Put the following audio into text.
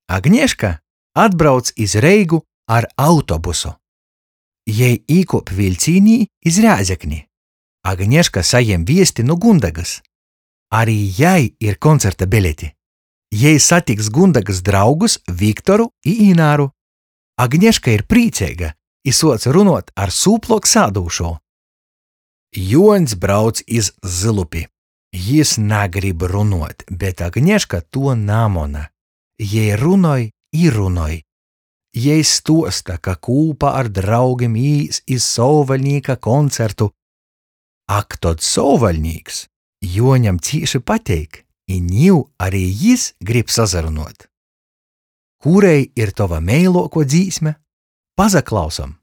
Agneška atbrauc iz Reigu ar autobusu. Jei īkuop viļcīnī iz Rēzekni. Agneška sajem viesti nu Gundegys. Ari jai ir koncerta beleti. Jei satiks Gundegys draugus Viktoru i Ināru. Agneška ir prīceiga i suoc runuot ar sūpluok sādūšū. Juoņs brauc iz Zylupi. Jis nagrib runuot, bet Agneška tuo namona. Jei runoj i runoj. Jei stuosta, ka kūpā ar draugim īs iz Sovvaļnīka koncertu. Ak, tod Sovvaļnīks Juoņam cīši pateik, i niu ari jis grib sasarunuot. Kurei ir tova meiluokuo dzīsme? Pasaklausom!